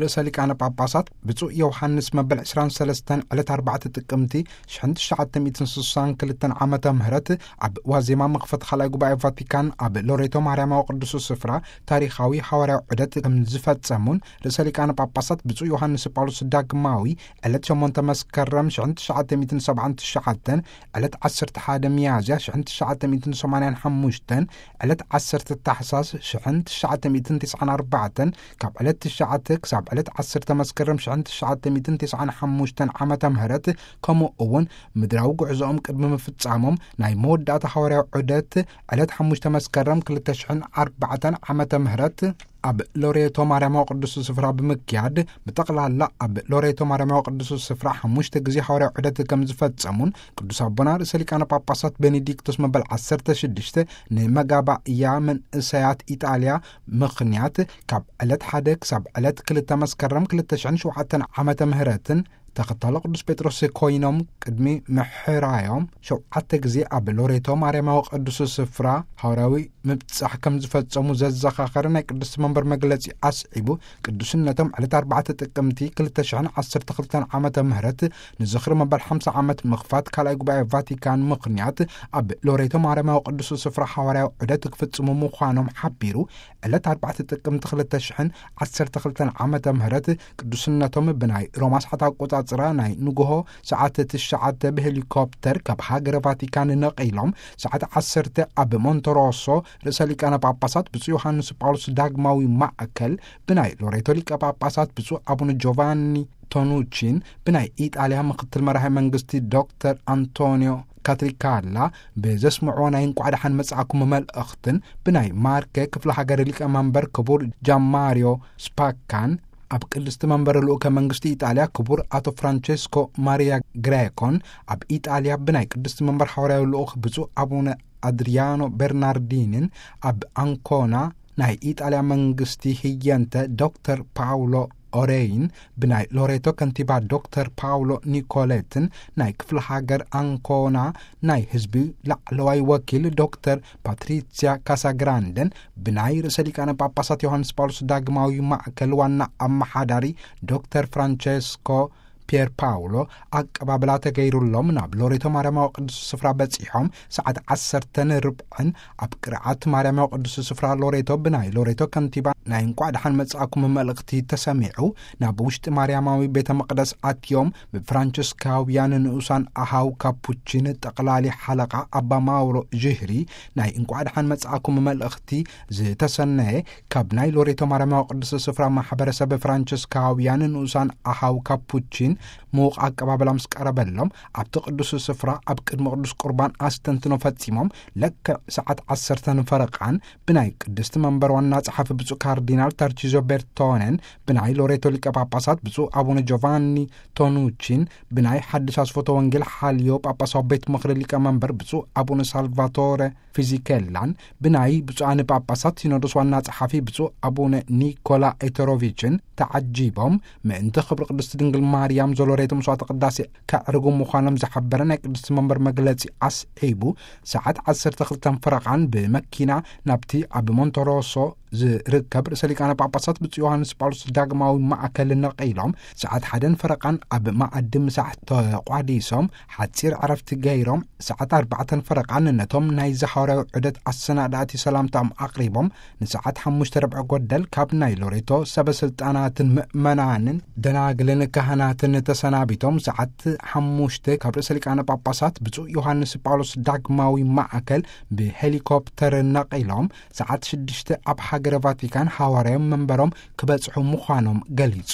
ርእሰ ሊቃነ ጳጳሳት ብፁዕ ዮሃንስ መበል ዕስራን ሰለስተን ዕለት ኣርባዕተ ጥቅምቲ ሽሕን ትሽዓተ ሚእትን ስሳን ክልተን ዓመተ ምህረት ኣብ ዋዜማ መኽፈት ካልኣይ ጉባኤ ቫቲካን ኣብ ሎሬቶ ማርያማዊ ቅዱስ ስፍራ ታሪኻዊ ሃዋርያዊ ዑደት ከም ዝፈጸሙን፣ ርእሰ ሊቃነ ጳጳሳት ብፁዕ ዮሃንስ ጳውሎስ ዳግማዊ ዕለት ሸሞንተ መስከረም ሽሕን ትሽዓተ ሚእትን ሰብዓን ትሽዓተን፣ ዕለት ዓሰርተ ሓደ ሚያዝያ ሽሕን ትሽዓተ ሚእትን ሰማንያን ሓሙሽተን፣ ዕለት ዓሰርተ ታሕሳስ ሽሕን ትሽዓተ ሚእትን ትስዓን ኣርባዕተን፣ ካብ ዕለት ትሽዓተ ክሳብ ዕለት ዓሰርተ መስከረም ሽሕን ትሽዓተ ሚእትን ትስዓን ሓሙሽተን ዓመተ ምህረት፣ ከምኡ እውን ምድራዊ ጉዕዞኦም ቅድሚ ምፍጻሞም ናይ መወዳእታ ሃዋርያዊ ዑደት ዕለት ሓሙሽተ መስከረም ክልተ ሽሕን ኣርባዕተን ዓመተ ምህረት ኣብ ሎሬቶ ማርያማዊ ቅዱስ ስፍራ ብምክያድ፣ ብጠቕላላ ኣብ ሎሬቶ ማርያማዊ ቅዱስ ስፍራ ሓሙሽተ ግዜ ሃዋርያዊ ዑደት ከም ዝፈጸሙን፣ ቅዱስ ኣቦና ርእሰ ሊቃነ ጳጳሳት ቤኔዲክቶስ መበል ዓሰርተ ሽዱሽተ ንመጋባእያ መንእሰያት ኢጣልያ ምኽንያት ካብ ዕለት ሓደ ክሳብ ዕለት ክልተ መስከረም ክልተ ሽሕን ሸውዓተን ዓመተ ምህረትን ተኸታሎ ቅዱስ ጴጥሮስ ኮይኖም ቅድሚ ምሕራዮም ሸውዓተ ግዜ ኣብ ሎሬቶ ማርያማዊ ቅዱስ ስፍራ ሃዋርያዊ ምብጻሕ ከም ዝፈጸሙ ዘዘኻኸረ ናይ ቅድስቲ መንበር መግለጺ ኣስዒቡ፣ ቅዱስነቶም ዕለት ኣርባዕተ ጥቅምቲ ክልተ ሽሕን ዓሰርተ ክልተን ዓመተ ምህረት ንዝኽሪ መበል ሓምሳ ዓመት ምኽፋት ካልኣይ ጉባኤ ቫቲካን ምኽንያት ኣብ ሎሬቶ ማርያማዊ ቅዱስ ስፍራ ሃዋርያዊ ዑደት ክፍጽሙ ምዃኖም ሓቢሩ፣ ዕለት ኣርባዕተ ጥቅምቲ ክልተ ሽሕን ዓሰርተ ክልተን ዓመተ ምህረት ቅዱስነቶም ብናይ ሮማ ሰዓት ኣቆጻጽራ ናይ ንግሆ ሰዓት ትሽዓተ ብሄሊኮፕተር ካብ ሃገረ ቫቲካን ነቒሎም ሰዓት ዓሰርተ ኣብ ሞንተሮሶ ርእሰ ሊቃነ ጳጳሳት ብፁዕ ዮሃንስ ጳውሎስ ዳግማዊ ማእከል ብናይ ሎሬቶ ሊቀ ጳጳሳት ብፁዕ ኣቡነ ጆቫኒ ቶኑቺን ብናይ ኢጣልያ ምክትል መራሒ መንግስቲ ዶክተር ኣንቶኒዮ ካትሪካላ ብዘስምዕዎ ናይ እንቋዕ ደሓን መጻእኩም መልእኽትን ብናይ ማርከ ክፍለ ሃገር ሊቀ መንበር ክቡር ጃማሪዮ ስፓካን ኣብ ቅድስቲ መንበር ልኡከ መንግስቲ ኢጣልያ ክቡር ኣቶ ፍራንቸስኮ ማሪያ ግሬኮን ኣብ ኢጣልያ ብናይ ቅድስቲ መንበር ሃዋርያዊ ልኡኽ ብፁዕ ኣቡነ ኣድሪያኖ በርናርዲንን ኣብ ኣንኮና ናይ ኢጣልያ መንግስቲ ህየንተ ዶክተር ፓውሎ ኦሬይን ብናይ ሎሬቶ ከንቲባ ዶክተር ፓውሎ ኒኮሌትን ናይ ክፍለ ሃገር ኣንኮና ናይ ህዝቢ ላዕለዋይ ወኪል ዶክተር ፓትሪሲያ ካሳግራንደን ብናይ ርእሰ ሊቃነ ጳጳሳት ዮሃንስ ጳውሎስ ዳግማዊ ማእከል ዋና ኣመሓዳሪ ዶክተር ፍራንቸስኮ ፒየር ፓውሎ ኣቀባብላ ተገይሩሎም ናብ ሎሬቶ ማርያማዊ ቅዱስ ስፍራ በጺሖም ሰዓት ዓሰርተን ርብዕን ኣብ ቅርዓት ማርያማዊ ቅዱስ ስፍራ ሎሬቶ ብናይ ሎሬቶ ከንቲባ ናይ እንቋዕ ደሓን መጻእኩም መልእኽቲ ተሰሚዑ። ናብ ውሽጢ ማርያማዊ ቤተ መቕደስ ኣትዮም ብፍራንቸስካውያን ንኡሳን ኣሃው ካፑቺን ጠቕላሊ ሓለቓ ኣባ ማውሮ ዥህሪ ናይ እንቋዕ ደሓን መጻእኩም መልእኽቲ ዝተሰነየ ካብ ናይ ሎሬቶ ማርያማዊ ቅዱስ ስፍራ ማሕበረሰብ ፍራንቸስካውያን ንኡሳን ኣሃው ካፑቺን ምዉቕ ኣቀባብላ ምስ ቀረበሎም፣ ኣብቲ ቅዱስ ስፍራ ኣብ ቅድሚ ቅዱስ ቁርባን ኣስተንትኖ ፈጺሞም፣ ለክዕ ሰዓት ዓሰርተ ንፈረቓን ብናይ ቅድስቲ መንበር ዋና ጸሓፊ ብፁዕ ካርዲናል ተርቺዞ ቤርቶነን፣ ብናይ ሎሬቶ ሊቀ ጳጳሳት ብፁዕ ኣቡነ ጆቫኒ ቶኑቺን፣ ብናይ ሓድሽ ኣስፎቶ ወንጌል ሓልዮ ጳጳሳዊ ቤት ምኽሪ ሊቀ መንበር ብፁዕ ኣቡነ ሳልቫቶረ ፊዚኬላን ብናይ ብፁዓን ጳጳሳት ሲኖዶስ ዋና ጸሓፊ ብፁዕ ኣቡነ ኒኮላ ኤተሮቪችን ተዓጂቦም ምእንቲ ክብሪ ቅድስቲ ድንግል ማርያም ዘሎሬቶ መስዋዕተ ቅዳሴ ከዕርጉ ምዃኖም ዝሓበረ ናይ ቅድስቲ መንበር መግለጺ ኣስዒቡ፣ ሰዓት ዓሰርተ ክልተን ፈረቓን ብመኪና ናብቲ ኣብ ሞንተሮሶ ዝርከብ ርእሰ ሊቃነ ጳጳሳት ብፁዕ ዮሃንስ ጳውሎስ ዳግማዊ ማእከል ነቒሎም፣ ሰዓት ሓደን ፈረቓን ኣብ መኣዲ ምሳሕ ተቋዲሶም፣ ሓጺር ዕረፍቲ ገይሮም፣ ሰዓት ኣርባዕተን ፈረቓን ነቶም ናይ ሃዋርያዊ ዑደት ኣሰናዳእቲ ሰላምታኦም ኣቕሪቦም፣ ንሰዓት ሓሙሽተ ርብዒ ጎደል ካብ ናይ ሎሬቶ ሰበ ስልጣናትን ምእመናንን ደናግልን ካህናትን ተሰናቢቶም፣ ሰዓት ሓሙሽተ ካብ ርእሰ ሊቃነ ጳጳሳት ብፁዕ ዮሃንስ ጳውሎስ ዳግማዊ ማእከል ብሄሊኮፕተር ነቒሎም፣ ሰዓት ሽዱሽተ ኣብ ሃገረ ቫቲካን ሃዋርያዊ መንበሮም ክበጽሑ ምዃኖም ገሊጹ።